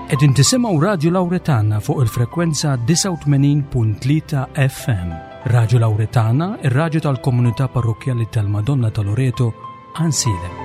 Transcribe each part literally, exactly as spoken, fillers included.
Qegħdin tisimgħu Radio Lauretana fuq il-frekwenza disgħa u tmenin punt tlieta F M. Radio Lauretana, ir-raġu tal-komunità parrokjali tal-Madonna ta' Loreto, Għajnsielem.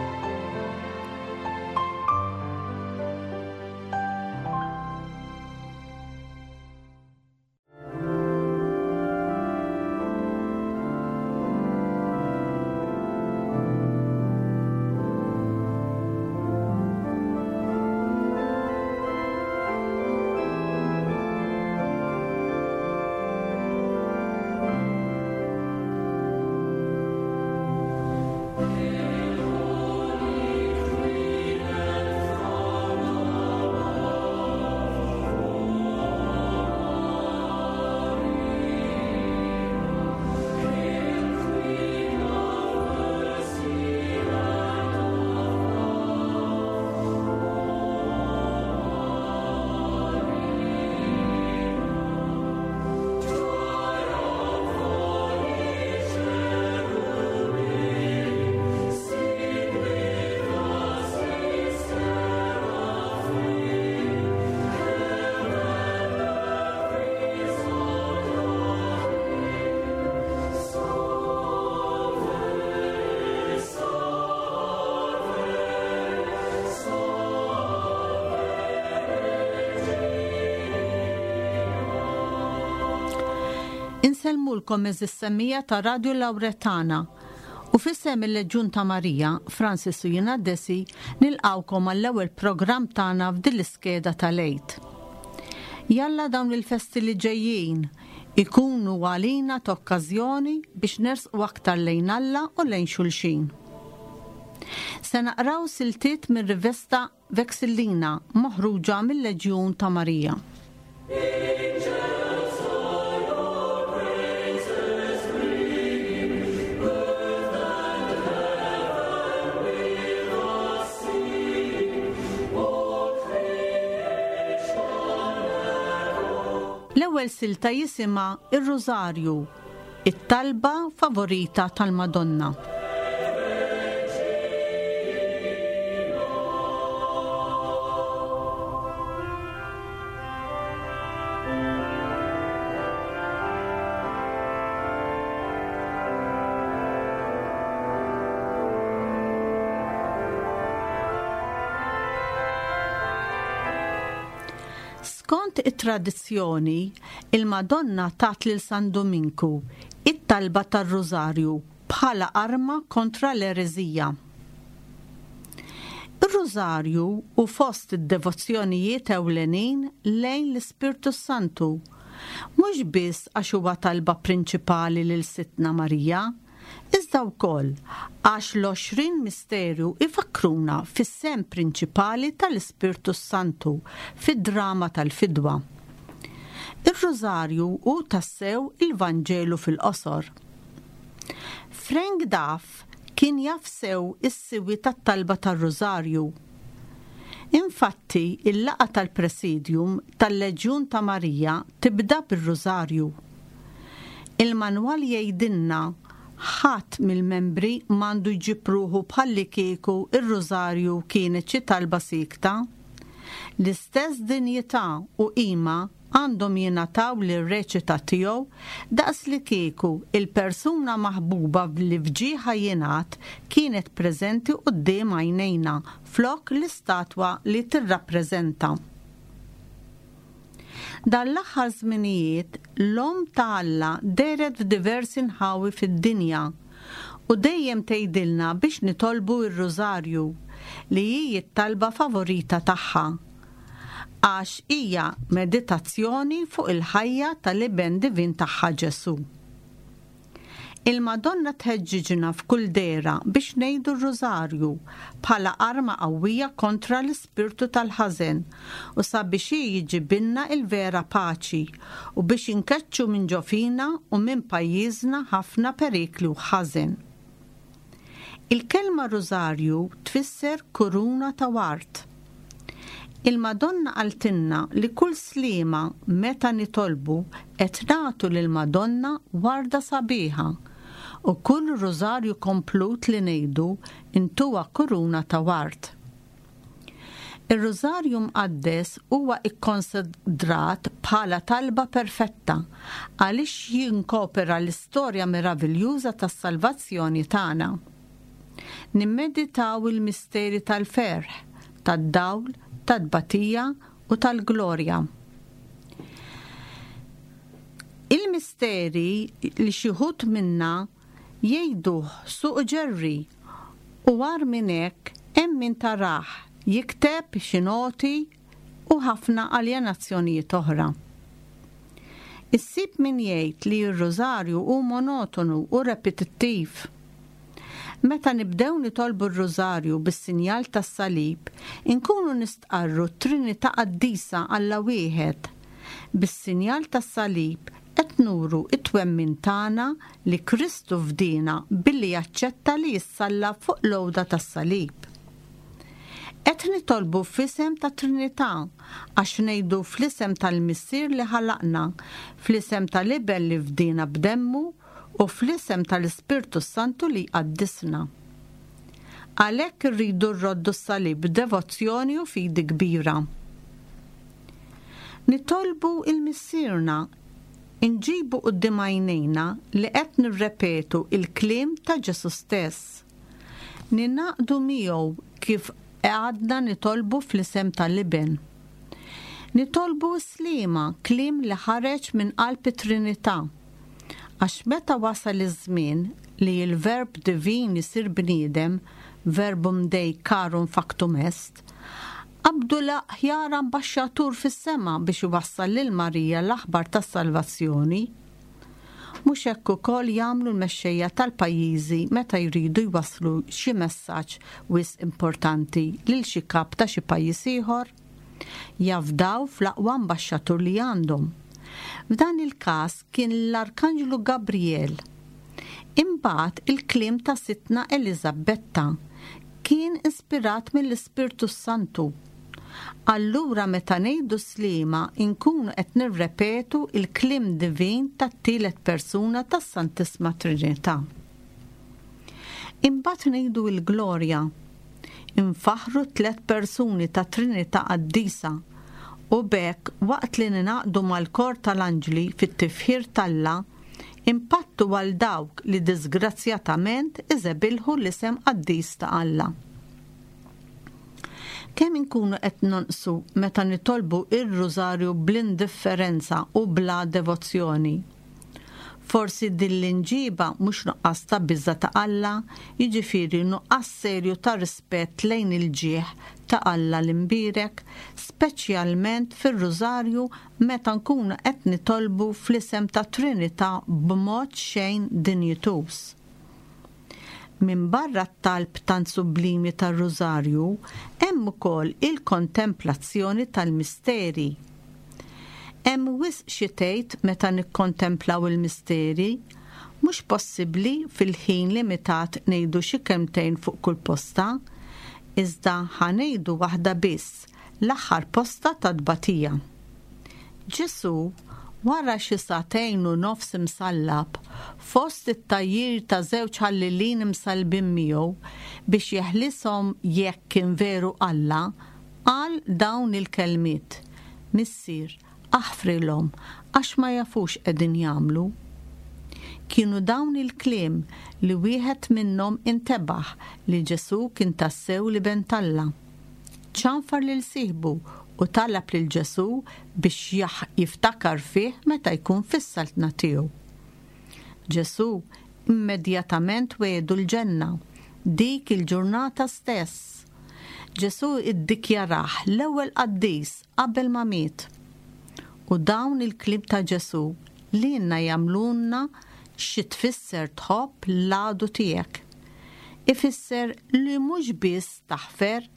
Insellmulkom, għeżież semmiegħa ta' Radio Lauretana, u f'isem il-Leġjun ta' Marija, Francis u jiena Desi nilqgħukom għall-ewwel programm tagħna f'din l-iskeda tal-Għid. Jalla dawn il-festi li ġejjin ikunu għalina t'okkażjoni biex nersqu aktar lejn Alla u lejn xulxin. Se naqraw siltiet minn rivesta Vexillina moħruġa mill-Leġjun ta' Marija. Angels all your praises ringing, earth and heaven with us singing, all creation echo. L-ewwel silta jisimha Ir-Rużarju, it-talba favorita tal-Madonna. Skont it-tradizzjoni, il-Madonna tat lil San Dominku it-talba tar-Rużarju bħala arma kontra l-ereżija. Ir-Rużarju hu fost id-devozzjonijiet ewlenin lejn l-Ispirtu Santu, mhux biss għax huwa talba prinċipali lil Sidtna Marija, iżda wkoll għax l-għoxrin misteru ifakruna fis-sehem prinċipali tal-Ispirtu Santu fid-drama tal-fidwa. Ir-Rużarju hu tassew il-Vanġelu fil-qosor. Frank Duff kien jaf sew is-siwi tat-talba tar-Rużarju. Infatti, il-laqgħa tal-Presidium tal-Leġjun ta' Marija tibda bir-Rużarju. Il-manwal jgħidilna: ħadd mill-membri m'għandu jġib ruħu bħallikieku ir-Rużarju kienet xi talba sikta. L-istess dinjità u qima għandhom jingħataw lir-reċita tiegħu daqs li kieku il-persuna maħbuba li f'ġieħha jingħad kienet preżenti quddiem għajnejna flok l-istatwa li tirrappreżenta. Dan l-aħħar żminijiet l-Omm ta' Alla dehret f'diversi nħawi fid-dinja u dejjem tgħidilna biex nitolbu r-Rużarju, li hi t-talba favorita tagħha, għax hija meditazzjoni fuq il-ħajja tal-Iben Divin tagħha Ġesu. Il-Madonna tħeġġiġna f'kull dehra biex ngħidu r-Rużarju bħala arma qawwija kontra l-ispirtu tal-ħażen u sabiex hi jġibilna il-vera paċi u biex inkeċċu minn ġo fina u minn pajjiżna ħafna perikli u ħażen. Il-kelma Rużarju tfisser kuruna ta' ward. Il-Madonna qaltilna li kull slima meta nitolbu qed nagħtu lill-Madonna warda sabiħa u kull rużarju komplut li ngħidu ntuha kuruna ta' ward. Ir-Rużarju Mqaddes huwa ikkonsidrat bħala talba perfetta għaliex jinkopera l-istorja meraviljuża tas-salvazzjoni tagħna. Nimmeditaw il-misteri tal-ferħ, tad-dawl, tad-batija u tal-glorja. Il-misteri li xi wħud minna jgħiduh suq ġerri u war minn hekk hemm min tarah jikteb xi noti u ħafna aljenazzjonijiet oħra. Issib min jgħid li r-rużarju hu monotonu u repetittiv. Meta nibdew nitolbu r-rużarju bis-sinjal tas-salib, inkunu nistqarru t-Trinità Qaddisa Alla wieħed. Bis-sinjal tas-salib qed nuru t-twemmin tagħna li Kristu fdina billi jaċċetta li jissallab fuq l-għuda tas-salib. Qed nitolbu f'isem ta' Trinità għax ngħidu fl-isem tal-Missier li ħalaqna, fl-isem tal-Iben li fdina b'demmu u fl-isem tal-Ispirtu Santu li jqaddisna. Għalhekk irridu rroddu s-salib b'devozzjoni u fidi kbira. Nitolbu il-Missierna inġibu quddiem għajnejna li qed nirrepetu il-kliem ta' Ġesu stess. Ninaqdu miegħu kif għadna nitolbu fl-isem tal-Iben. Nitolbu slima, kliem li ħareġ minn qalb it-Trinità. Għax meta wasal iż-żmien li l-verb divin isir bniedem, verbum Dei carum factum est, qabdu l-aħjar ambaxxatur fis-sema biex iwassal lil Marija l-aħbar tas-salvazzjoni. Mhux hekk ukoll jagħmlu l-mexxejja tal-pajjiżi meta jridu jwasslu xi messaġġ wisq importanti lil xi kap ta' xi pajjiż ieħor? Jafdaw fl-aqwa ambaxxatur li għandhom. F'dan il-każ kien l-Arkanġlu Gabriel. Imbagħad il-kliem ta' Sidtna Eliżabetta kien ispirat mill-Ispirtu Santu. Allura meta ngħidu slima nkunu qed nirrepetu il-kliem divin tat-tielet persuna tas-Santissima Trinità. Imbagħad ngħidu l-glorja. Infaħru tliet persuni ta' Trinità Qaddisa u b'hekk waqt li ninaqdu mal-kor tal-anġli fit-tifħir t'Alla, impattu għal dawk li disgrazzjatament iżebilħu l-isem qaddis ta' Alla. Kemm inkunu qed nonqsu meta nitolbu ir-rużarju bl-indifferenza u bla devozzjoni? Forsi din l-inġiba mhux nuqqas ta' biża' ta' Alla, jiġifieri nuqqas serju ta' rispett lejn il-ġieħ ta' Alla l-imbierek, speċjalment fir-rużarju meta nkunu qed nitolbu fl-isem ta' Trinità b'mod xejn dinjituż. Minn barra t-talb tant sublimi tar-rużarju hemm ukoll il-kontemplazzjoni tal-misteri. Hemm wisq xi tgħid meta nikkontemplaw il-misteri, mhux possibbli fil-ħin limitat ngħidu xi kelmtejn fuq kull posta, iżda ħa ngħidu waħda biss, l-aħħar posta ta' tbatija. Ġesu, wara xi sagħtejn u nofs imsallab, fost it-tgħajjir ta' żewġ ħallelin imsallbin miegħu biex jeħlishom jekk kien veru Alla, qal dawn il-kelmiet: Missier, aħfrilhom għax ma jafux qegħdin jagħmlu. Kienu dawn il-kliem li wieħed minnhom intebaħ li Ġesu kien tassew l-Iben t'Alla. Ċanfar lil sieħbu u talab lil Ġesu biex jiftakar fih meta jkun fis-saltna tiegħu. Ġesu immedjatament wegħdu l-ġenna, dik il-ġurnata stess. Ġesu iddikjarah l-ewwel qaddis qabel ma miet. U dawn il-kliem ta' Ġesu lilna jagħmlulna xi tfisser tħobb l-għadu tiegħek. Ifisser li mhux biss taħfer,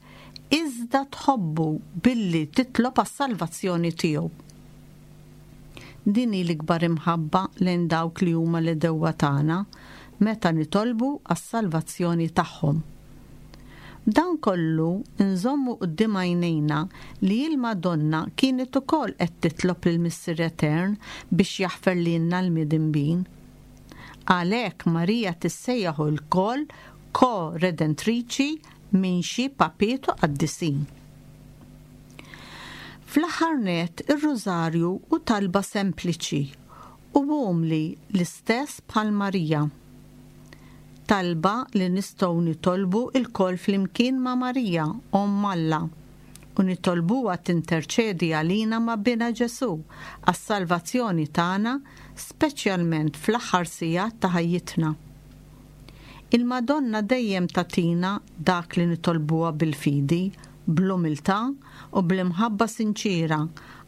iżda tħobbu billi titlob għas-salvazzjoni tiegħu. Din hi l-ikbar imħabba lejn dawk li huma l-għedewwa tagħna meta nitolbu għas-salvazzjoni tagħhom. Dan kollu nżommu quddiem għajnejna li l-Madonna kienet ukoll qed titlob lil Missier Etern biex jaħfer lilna l-midinbin. Għalhekk Marija tissejjaħ ukoll ko-redentriċi minn xi papiet u qaddisin. Fl-aħħar nett, ir-Rużarju hu talba sempliċi u umli l-istess bħal Marija. Talba li nistgħu nitolbu lkoll flimkien ma' Marija, Omm Alla, u nitolbuha tinterċedi għalina ma' Binha Ġesù għas-salvazzjoni tagħna, speċjalment fl-aħħar sigħat ta' ħajjitna. Il-Madonna dejjem tagħtina dak li nitolbuha bil-fidi, bl-umiltà u bl-imħabba sinċira,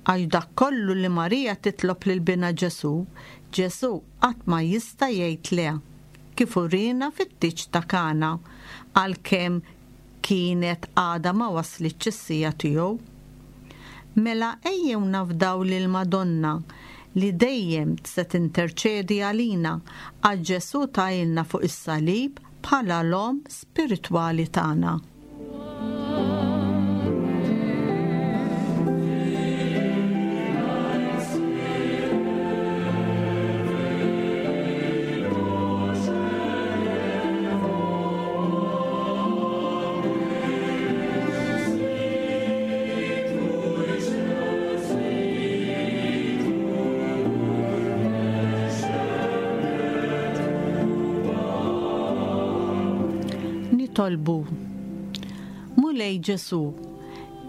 għax dak kollu li Marija titlob lil Binha Ġesù, Ġesù qatt ma jista' jgħid le, kif urina fit-tieġ ta' Kana, għalkemm kienet għadha ma waslitx is-siegħa tiegħu. Mela ejjew nafdaw lil Madonna li dejjem se tinterċedi għalina, għax Ġesù tgħinna fuq is-salib bħala l-omm spiritwali tagħna. Nitolbu. Mulej Ġesù,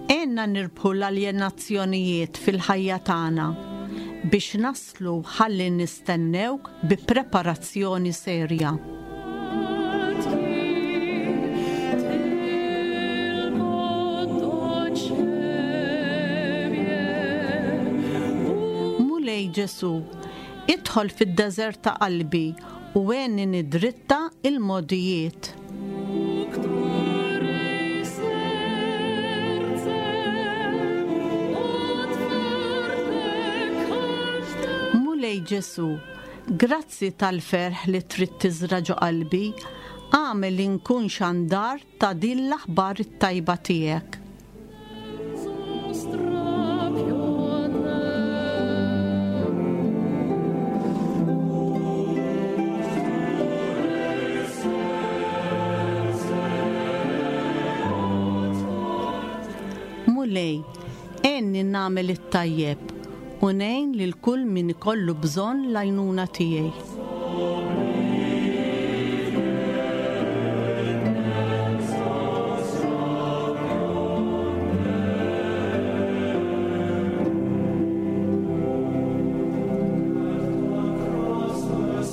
għenna nirbħu l-aljenazzjonijiet fil-ħajja tagħna biex naslu ħalli nistennewk bi preparazzjoni serja. Mulej Ġesù, idħol fid-deżert ta' qalbi u għenni nidritta il-modijiet. Mulej Ġesù, grazzi tal-ferħ li trid tiżra' ġo qalbi, agħmel li nkun xandar ta' din l-aħbar it-tajba tiegħek. Mulej, għenni nagħmel it-tajjeb u ngħin lil kull min ikollu bżonn l-għajnuna tiegħi.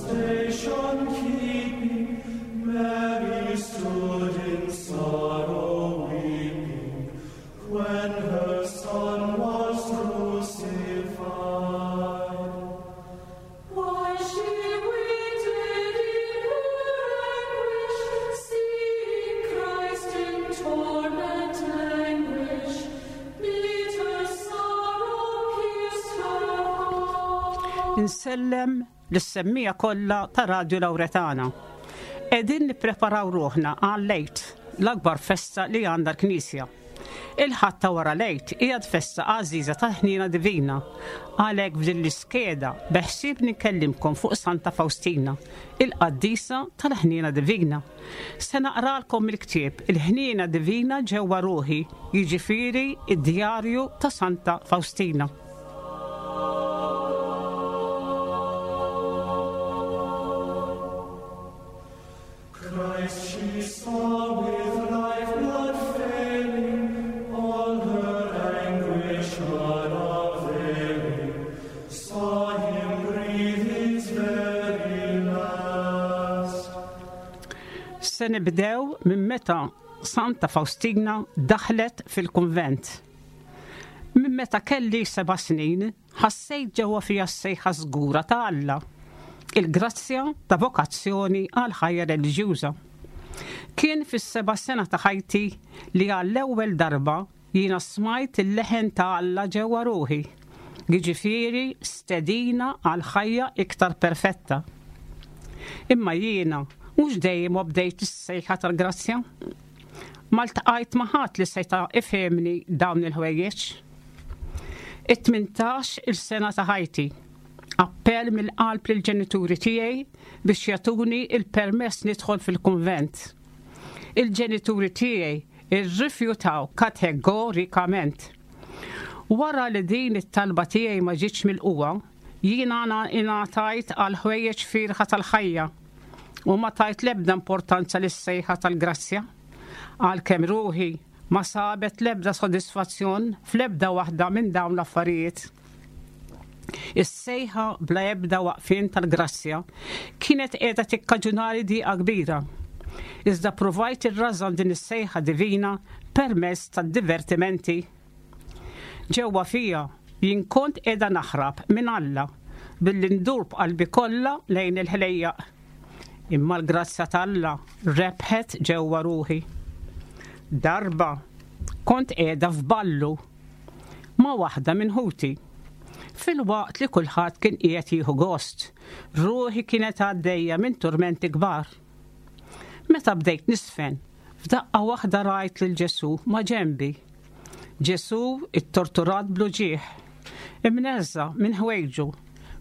Station keeping, Mary stood in sorrow weeping, when her son was crucified. Why she waited in her anguish, seeing Christ in torment languish, bitter sorrow pierced her heart. Insellem lis-semmiegħa kollha ta' Radio Lauretana. Qegħdin nippreparaw ruħna għall-Għid, l-akbar festa li għandha l-Knisja. Il-Ħadd ta' wara l-Għid hija festa għażiża tal-ħniena divina. Għalhekk f'din l-iskeda beħsieb nikellimkom fuq Santa Faustina, il-qaddisa tal-ħniena divina. Se naqralkom il-ktieb Il-ħniena divina ġewwa ruħi, jiġifieri id-djarju ta' Santa Faustina. Christ she saw with lifeblood failing, all her anguish unavailing, saw him breathe his very last. Se nibdew minn meta Santa Faustina daħlet fil-kunvent. Minn meta kelli seba' snin, ħassejt ġewwa fija s-sejħa żgura ta' Alla, il-grazzja ta' vokazzjoni għal ħajja reliġjuża. Kien fis-seba' sena ta' ħajti li għall-ewwel darba jiena smajt il-leħen ta' Alla ġewwa ruħi, jiġifieri stedina għal ħajja iktar perfetta. Imma jiena mhux dejjem obdejt is-sejħa tal-grazzja. Ma ltqajt ma' ħadd li seta' ifhemni dawn il-ħwejjeġ. It-tmintax il-sena ta' ħajti, appell mill-qalb lill-ġenituri tiegħi biex jagħtuni il-permess nidħol fil-kunvent. Il-ġenituri tiegħi irrifjutaw kategorikament. Wara li din it-talba tiegħi ma ġietx milqugħa, jiena ingħatajt għal ħwejjeġ fiergħa tal-ħajja u ma tajt l-ebda importanza lis-sejħa tal-grazzja. Għalkemm ruħi ma sabet l-ebda sodisfazzjon fl-ebda waħda minn dawn l-affarijiet. Is-sejħa bla ebda waqfien tal-grazzja kienet qiegħda tikkaġunali diqa kbira. Iżda provajt irrażan din is-sejħa divina permezz tad-divertimenti. Ġewwa fija jien kont qiegħda naħrab minn Alla billi ndur b'qalbi kollha lejn il-ħlejjaq. Imma l-grazzja t'Alla rebħet ġewwa ruħi. Darba kont qiegħda f'ballu ma' waħda minn ħuti. Filwaqt li kulħadd kien qiegħed jieħu gost, ruħi kienet għaddejja minn turmenti kbar. Meta bdejt niżfen, f'daqqa waħda rajt lil Ġesu ma' ġenbi. Ġesu ittorturat bl-uġigħ, imneżża' minn ħwejġu,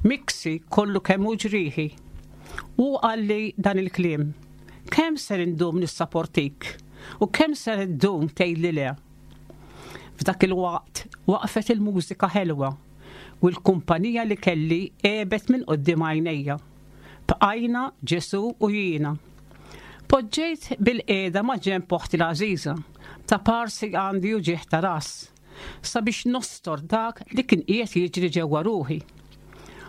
miksi kollu kemm hu ġrieħi. U qalli dan il-kliem: "Kemm ser indum nissaportik u kemm ser iddum tgħidli le?" F'dak il-waqt waqfet il-mużika ħelwa u l-kumpanija li kelli għebet minn quddiem għajnejja. Bqajna Ġesu u jiena. Poġġejt bilqiegħda ma' ġenb oħti l-għażiża, ta' parsi għandi uġigħ ta' ras, sabiex nostor dak li kien qiegħed jiġri ġewwa ruħi.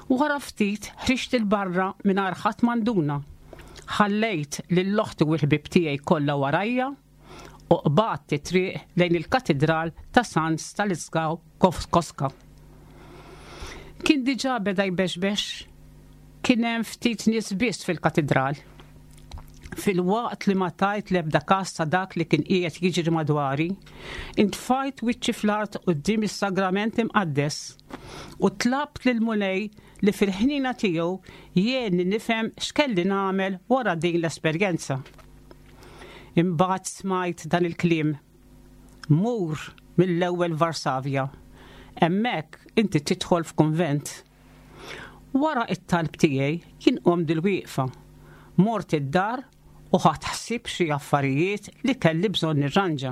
Wara ftit ħriġt 'il barra mingħajr ħadd ma nduna. Ħallejt lil oħti u l-ħbib tiegħi kollha warajja u qbadt it-triq lejn il-katedral ta' San Stanislaw Kostka. Kien diġà beda jbexbex, kien hemm ftit nies biss fil-katedral. Filwaqt li ma tajt l-ebda kas ta' dak li kien qiegħed jiġri madwari, intfajt wiċċi fl-art quddiem is-sagrament imqaddes u tlabt lil Mulej li fil-ħnina tiegħu jgħinni nifhem x'kelli nagħmel wara din l-esperjenza. Imbagħad smajt dan il-kliem: "Mur mill-ewwel Varsavja. Hemmhekk inti tidħol f'kunvent." Wara it-talb tiegħi jien qomt bilwieqfa. Mort id-dar u ħadt ħsieb xi affarijiet li kelli bżonn nirranġa.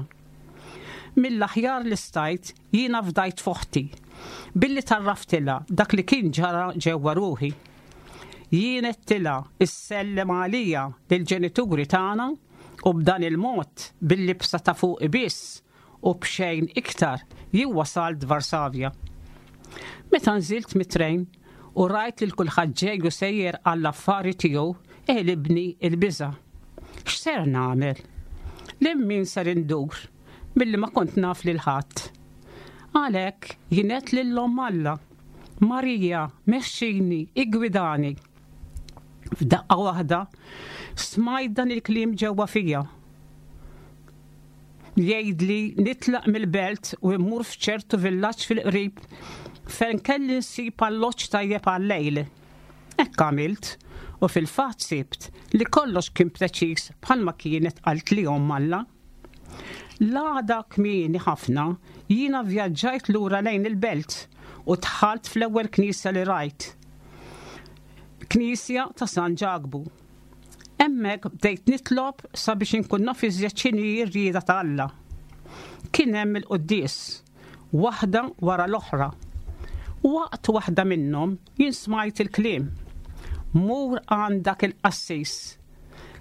Mill-aħjar li stajt jiena fdajt f'oħti billi għarraftilha dak li kien ġara ġewwa ruħi. Jien għedtilha issellem għalija lill-ġenituri tagħna u b'dan il-mod, bil-libsa ta' fuq biss u b'xejn iktar, jien wasalt Varsavja. Meta nżilt mit-trejn u rajt lil kulħadd ġej u sejjer għall-affari tiegħu, għelibni il-biża'. X'ser nagħmel? Lil min ser indur billi ma kont naf lil ħadd? Għalhekk jien għedt lil Omm Alla: "Marija, mexxini, iggwidani." F'daqqa waħda smajt dan il-kliem ġewwa fija jgħidli nitlaq mill-belt u immur f'ċertu villaġġ fil-qrib fejn kelli nsib alloġġ tajjeb għal-lejl. Hekk għamilt u fil-fatt sibt li kollox kien preċiż bħalma kienet qaltli Omm Alla. L-għada kmieni ħafna jiena vjaġġajt lura lejn il-belt u dħalt fl-ewwel knisja li rajt. Knisja ta' San Ġakbu. Hemmhekk bdejt nitlob sabiex inkun naf iżjed x'inhi r-rieda ta' Alla. Kien hemm il-quddies, waħda wara l-oħra. Waqt waħda minnhom jien smajt il-kliem: "Mur għand dak il-qassis,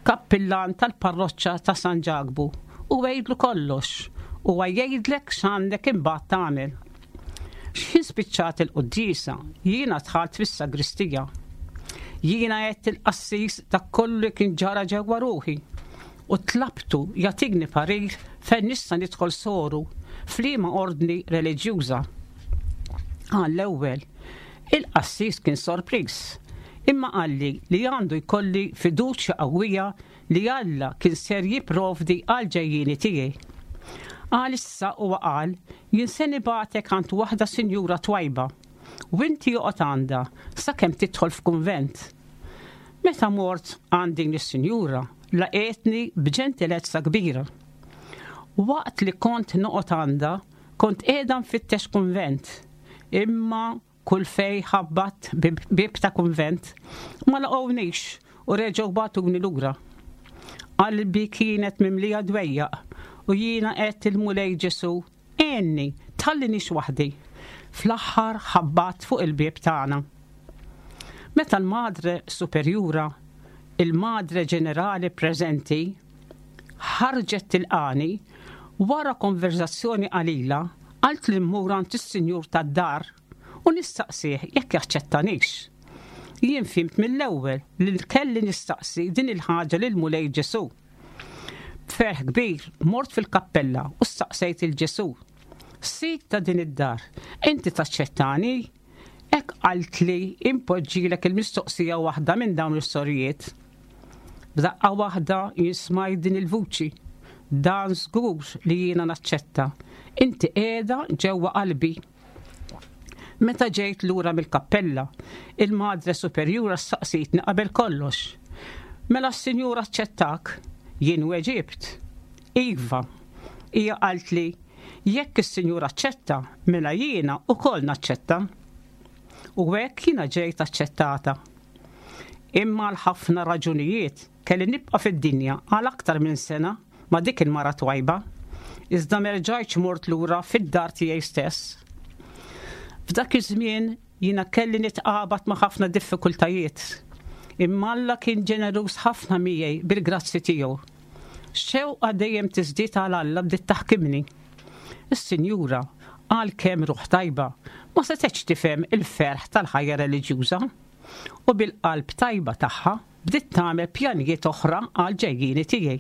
kappillan tal-parroċċa ta' San Ġakbu, u għidlu kollox u jgħidlek x'għandek imbagħad tagħmel." X'ħin spiċċat il-quddiesa, jiena dħalt fis-sagristija. Jiena għedt lill-qassis dak kollu li kien ġara ġewwa ruħi u tlabtu jagħtini parir fejn nista' nidħol soru, f'liema ordni reliġjuża. Għall-ewwel, il-qassis kien sorpriż, imma qalli li għandu jkolli fiduċja qawwija li Alla kien ser jipprovdi għal ġejjieni tiegħi. Għalissa, huwa qal, "jien se nibagħtek għand waħda sinjura twajba u inti oqgħod għandha sakemm tidħol f'kunvent." Meta mort għand din is-sinjura, laqgħetni b'ġentilezza kbira. Waqt li kont noqgħod għandha, kont qiegħda nfittex kunvent, imma kull fej ħabbatt bib ta' kunvent ma laqgħunix u reġgħu bagħtuni lura. Qalbi kienet mimlija dwejjaq u jiena għedt lill-Mulej Ġesu: "Għinni, tħallinix waħdi." Fl-aħħar ħabbat fuq il-bieb tagħna. Meta l-Madre Superjura, il-Madre Ġenerali preżenti, ħarġet tilqani, wara konverzazzjoni qalila, qaltli mmur għand is-sinjur tad-dar u nistaqsih jekk jaċċettanix. Jien fhimt mill-ewwel li kelli nistaqsi din il-ħaġa lil Mulej Ġesu. B'ferħ kbir mort fil-kappella u staqsejt lil Ġesu. Sid ta' din id-dar, inti taċċettani? Hekk qaltli impoġġilek il-mistoqsija waħda minn dawn is-sorijiet. B'daqqa waħda jien smajt din il-vuċi. Dan żgur li jiena naċċetta. Inti qiegħda ġewwa qalbi. Meta ġejt lura mill-kappella, il-Madre Superjura staqsitni qabel kollox. Mela s-Sinjur aċċettak? Jien weġibt. Iva. Hija qaltli, jekk is-Sinjur aċċetta, mela jiena ukoll naċċetta. U hekk jiena ġejt aċċettata. Imma għal ħafna raġunijiet kelli nibqa' fid-dinja għal aktar minn sena ma' dik il-mara twajba. Iżda m'erġajtx mort lura fid-dar tiegħi stess. F'dak iż-żmien jiena kelli nitqabad ma' ħafna diffikultajiet. Imma Alla kien ġeneruż ħafna miegħi bil-grazzi tiegħu. Xewqa dejjem tiżdied għal Alla bdiet taħkimni. Is-Sinjura għalkemm ruħ tajba ma setgħetx tifhem il-ferħ tal-ħajja reliġjuża u bil-qalb tajba tagħha bdiet tagħmel pjanijiet oħra għal ġejjieni tiegħi.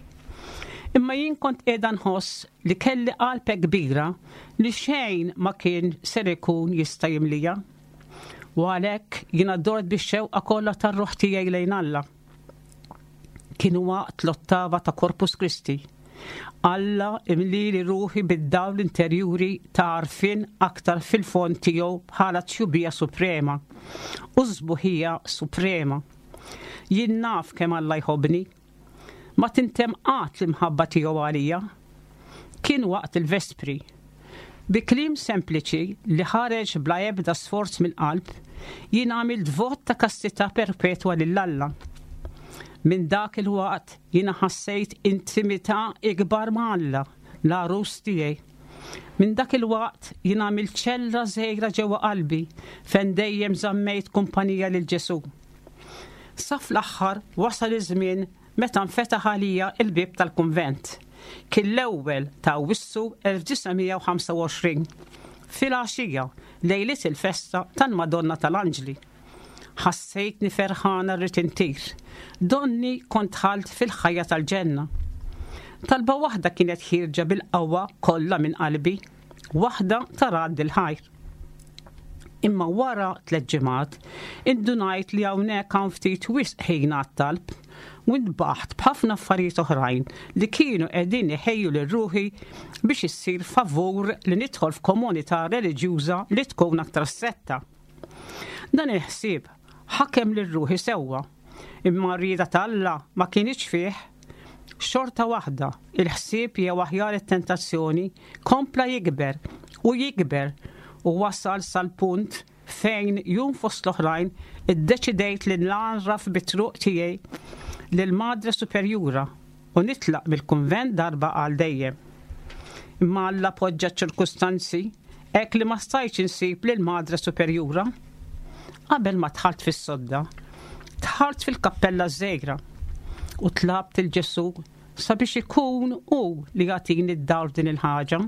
Imma jien kont qiegħda nħoss li kelli qalb kbira li xejn ma kien ser ikun jista' jimlija. U għalhekk jiena dort bix-xewqa kollha tar-ruħ tiegħi lejn Alla. Kien waqt l-ottava ta' Corpus Christi. Alla imlieli ruħi bid-dawl interjuri ta' għarfien aktar fil-fond tiegħu bħala tjubija suprema u sbuħija suprema. Jien naf kemm Alla jħobbni. Ma tintemm qatt l-imħabba tiegħu għalija. Kien waqt il-vespri. Bi kliem sempliċi li ħareġ bla ebda sforz mill-qalb, jien għamilt vot ta' kastità perpetwa lil Alla. Minn dak il-waqt jiena ħassejt intimità ikbar ma' Alla, l-għarus tiegħi. Minn dak il-waqt jiena għamilt ċella żgħira ġewwa qalbi fejn dejjem żammejt kumpanija lil Ġesu. Sa fl-aħħar wasal iż-żmien meta nfetaħ għalija il-bieb tal-kunvent. Kien l-ewwel ta' Awwissu elf disa' mija u ħamsa u għoxrin, fil-għaxija lejliet il-festa tal-Madonna tal-Anġli. Ħassejtni ferħana rrid intir, donni kont dħalt fil-ħajja tal-ġenna. Talba waħda kienet ħierġa bil-qawwa kollha minn qalbi, waħda ta' radd il-ħajr. Imma wara tliet ġimgħat indunajt li hawnhekk hawn ftit wisq ħin għat-talb u ntbaħt b'ħafna affarijiet oħrajn li kienu qegħdin iħejju lil ruħi biex issir favur li nidħol f'komunità reliġjuża li tkun aktar stretta. Dan il-ħsieb ħakem lil ruħi sewwa, imma r-rieda ta' Alla ma kienx fih. Xorta waħda, il-ħsieb jew aħjar it-tentazzjoni kompla jikber u jikber u wasal sal-punt fejn jum fost l-oħrajn iddeċidejt li nagħraf bit-truq tiegħi lil Madre Superjura u nitlaq mill-kunvent darba għal dejjem. Imma Alla poġġa ċirkustanzi hekk li ma stajtx insib lil Madre Superjura. Qabel ma dħalt fis-sodda, dħalt fil-kappella żgħira u tlabt il Ġesu sabiex ikun hu li jagħtini d-dawl din il-ħaġa.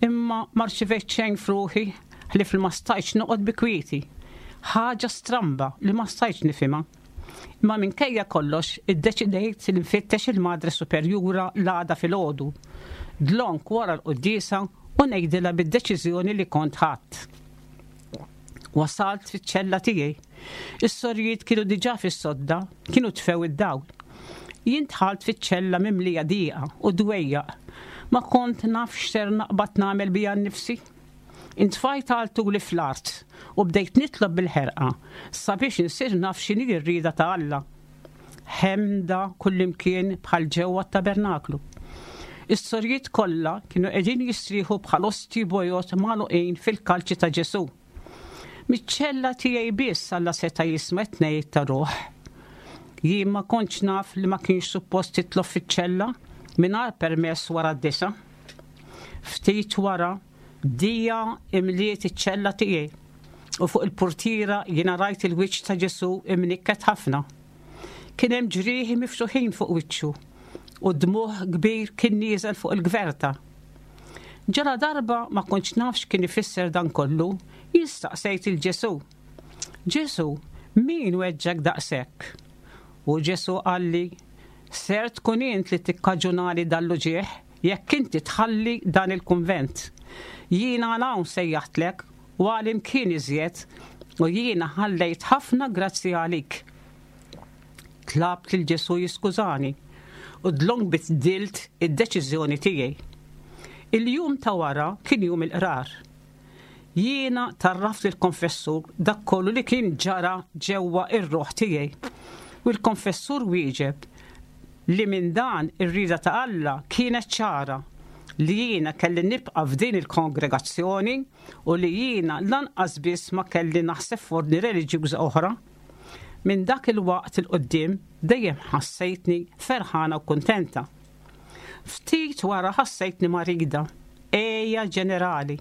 Imma ma rċivejt xejn f'ruħi ħlief li ma stajtx noqgħod bi kwieti. Ħaġa stramba li ma stajtx nifhimha. Imma minkejja kollox iddeċidejt li nfittex il-Madre Superjura l-għada filgħodu, dlonk wara l-quddiesa u ngħidilha bid-deċiżjoni li kont ħadt. Wasalt fiċ-ċella tiegħi. Is-sorijiet kienu diġà fis-sodda, kienu tfew id-dawl. Jien dħalt fiċ-ċella mimlija dieqa u dwejjaq. Ma kont naf x'ser naqbad nagħmel bija nnifsi. Intfajt għal tuli fl-art u bdejt nitlob bil-ħerqa sabiex insir naf x'inhi r-rieda ta' Alla. Ħemda kullimkien bħal ġewwa t-tabernaklu. Is-sorijiet kollha kienu qegħdin jistrieħu bħal osti bojod magħluqin fil-kalċi ta' Ġesu. Miċ-ċella tiegħi biss Alla seta' jisma' t-tnejn ta' ruħ. Jien ma kontx naf li ma kienx suppost titlob fiċ-ċella mingħajr permess wara d-disa. Ftit wara Dija imliet iċ-ċella tiegħi u fuq il-portiera jiena rajt il-wiċċ ta' Ġesu imnikket ħafna. Kien hemm ġrieħi miftuħin fuq wiċċu u dmuħ kbir kien nieżel fuq il-gverta. Ġara darba ma kontx nafx kien ifisser dan kollu, jien staqsejt lil Ġesu. Ġesu, min weġġgħek daqshekk? U Ġesu qalli, ser tkun int li tikkaġunali dal-uġigħ jekk inti tħalli dan il-kunvent. Jiena hawn sejjaħtlek u għal imkien iżjed u jiena ħallejt ħafna grazzi għalik. Tlabt lil Ġesu jiskużani u dlonk biddilt id-deċiżjoni tiegħi. Il-jum ta' wara kien jum il-qrar. Jiena għarraft il-konfessur dak kollu li kien ġara ġewwa ir-ruħ tiegħi. U l-konfessur wieġeb li minn dan ir-rida ta' Alla kienet ċara li jiena kelli nibqa' f'din il-kongregazzjoni u li jiena lanqas biss ma kelli naħseb f'ordni reliġjuża oħra. Minn dak il-waqt 'il quddiem dejjem ħassejtni ferħana u kuntenta. Ftit wara ħassejtni marida, għeja ġenerali.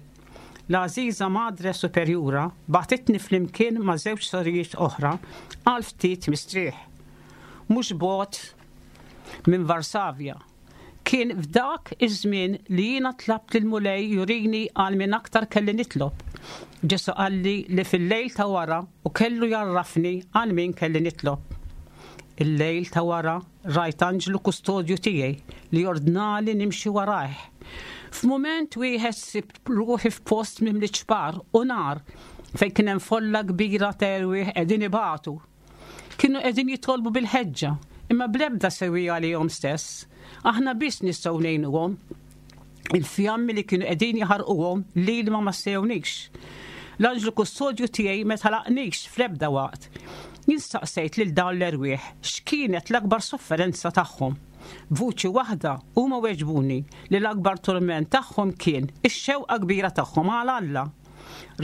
L-għażiża Madre Superjura bagħtitni flimkien ma' żewġ sorijiet oħra għal ftit mistrieħ. Mhux bogħod minn Varsavja. Kien f'dak iż-żmien li jiena tlabt lill-Mulej jurini għal min aktar kelli nitlob. Ġesu qalli li fil-lejl ta' wara u kellu jgħarrafni għal min kelli nitlob. Il-lejl ta' wara rajt anġlu kustodju tiegħi li ordnali nimxi warajh. F'mument wieħed sibt ruħi f'post mimli ċpar u nar fejn kien hemm folla kbira ta' erwieħ qegħdin ibatu. Kienu qegħdin jitolbu bil-ħeġġa, imma bl-ebda siwi għalihom stess. Aħna biss nistgħu ngħinuhom. Il-fjammi li kienu qegħdin jaħarquhom li ma massewniex. L-anġlu kustodju tiegħi ma telaqnix fl-ebda waqt. Jien staqsejt lil dawn l-erwieħ x'kienet l-akbar sofferenza tagħhom. B'vuċi waħda huma weġbuni li l-akbar turment tagħhom kien ix-xewqa kbira tagħhom għal Alla.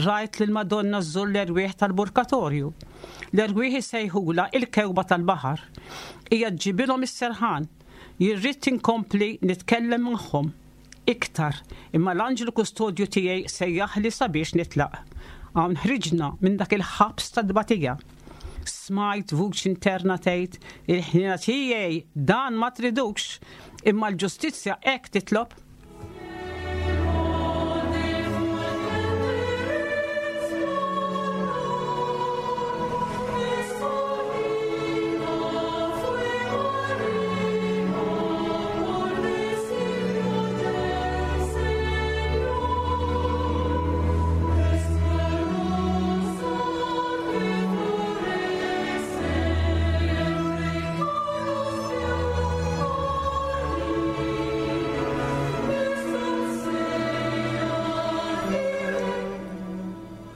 Rajt lil Madonna żżur l-erwieħ tal-purgatorju. L-erwieħ isejħula il-kewba tal-baħar. Hija ġġibilhom is-serħan. Jien ridt inkompli nitkellem magħhom iktar, imma l-anġlu kustodju tiegħi sejjaħli sabiex nitlaq. Hawn ħriġna minn dak il-ħabs ta' tbatija. Smajt vuċi interna tgħid il-ħniena tiegħi dan ma tridux, imma l-ġustizzja hekk titlob.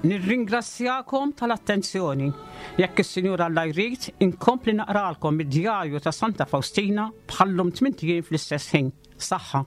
Nirringrazzjakom tal-attenzjoni. Jekk is-Sinjur Alla jrid, inkompli naqralkom id-djarju ta' Santa Faustina bħal-lum tmint ijiem fl-istess ħin. Saħħa.